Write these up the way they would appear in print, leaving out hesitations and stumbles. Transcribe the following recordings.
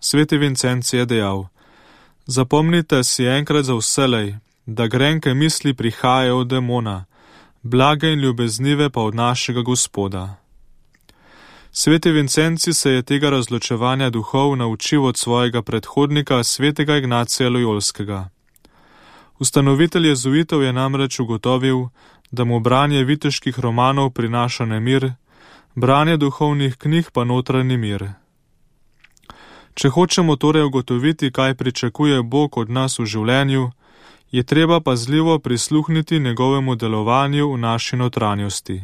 Sveti Vincenci je dejal: Zapomnite si enkrat za vselej, da grenke misli prihajajo od demona, blage in ljubeznive pa od našega Gospoda. Sveti Vincenci se je tega razločevanja duhov naučil od svojega predhodnika, svetega Ignacija Lojolskega. Ustanovitelj jezuitov je namreč ugotovil, da mu branje viteških romanov prinaša nemir, branje duhovnih knjig pa notranji mir. Če hočemo torej ugotoviti, kaj pričakuje Bog od nas v življenju, je treba pazljivo prisluhniti njegovemu delovanju v naši notranjosti.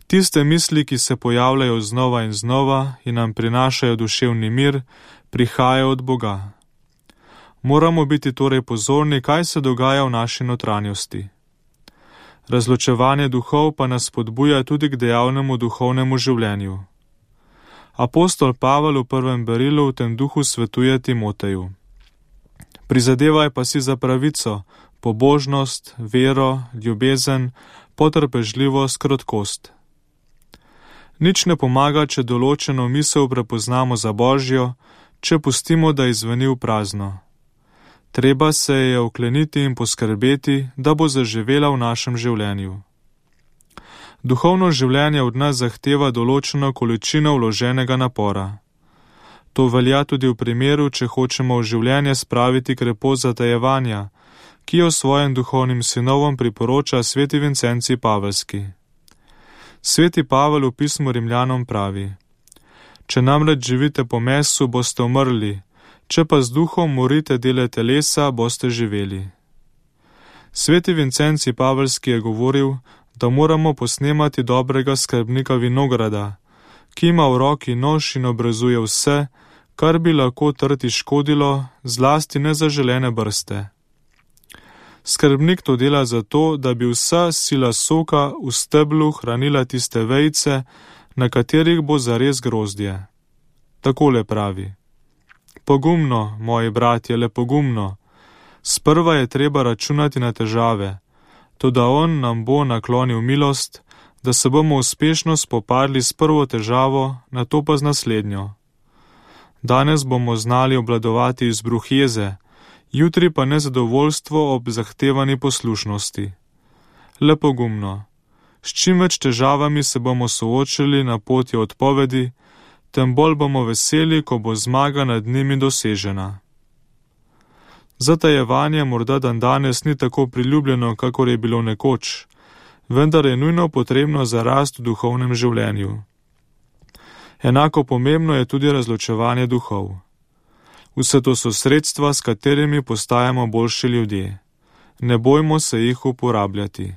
Tiste misli, ki se pojavljajo znova in znova in nam prinašajo duševni mir, prihajajo od Boga. Moramo biti torej pozorni, kaj se dogaja v naši notranjosti. Razločevanje duhov pa nas spodbuja tudi k dejavnemu duhovnemu življenju. Apostol Pavel v prvem berilu v tem duhu svetuje Timoteju: Prizadevaj pa si za pravico, pobožnost, vero, ljubezen, potrpežljivost, krotkost. Nič ne pomaga, če določeno misel prepoznamo za Božjo, če pustimo, da izveni v prazno. Treba se je okleniti in poskrbeti, da bo zaživela v našem življenju. Duhovno življenje od nas zahteva določeno količino vloženega napora. To velja tudi v primeru, če hočemo v življenje spraviti krepost zatajevanja, ki jo svojim duhovnim sinovom priporoča sveti Vincenci Pavelski. Sveti Pavel v pismu Rimljanom pravi: Če namreč živite po mesu, boste umrli, če pa z duhom morite dele telesa, boste živeli. Sveti Vincenci Pavelski je govoril, da moramo posnemati dobrega skrbnika vinograda, ki ima v roki nož in obrezuje vse, kar bi lahko trti škodilo, zlasti nezaželene brste. Skrbnik to dela zato, da bi vsa sila soka v steblu hranila tiste vejice, na katerih bo zares grozdje. Takole pravi: Pogumno, moji bratje, le pogumno. Sprva je treba računati na težave, toda on nam bo naklonil milost, da se bomo uspešno spopadli s prvo težavo, nato pa z naslednjo. Danes bomo znali obvladovati izbruh jeze, jutri pa nezadovoljstvo ob zahtevani poslušnosti. Le pogumno. S čim več težavami se bomo soočili na poti odpovedi, tem bolj bomo veseli, ko bo zmaga nad njimi dosežena. Zatajevanje morda dandanes ni tako priljubljeno, kakor je bilo nekoč, vendar je nujno potrebno za rast v duhovnem življenju. Enako pomembno je tudi razločevanje duhov. Vse to so sredstva, s katerimi postajamo boljši ljudje. Ne bojmo se jih uporabljati.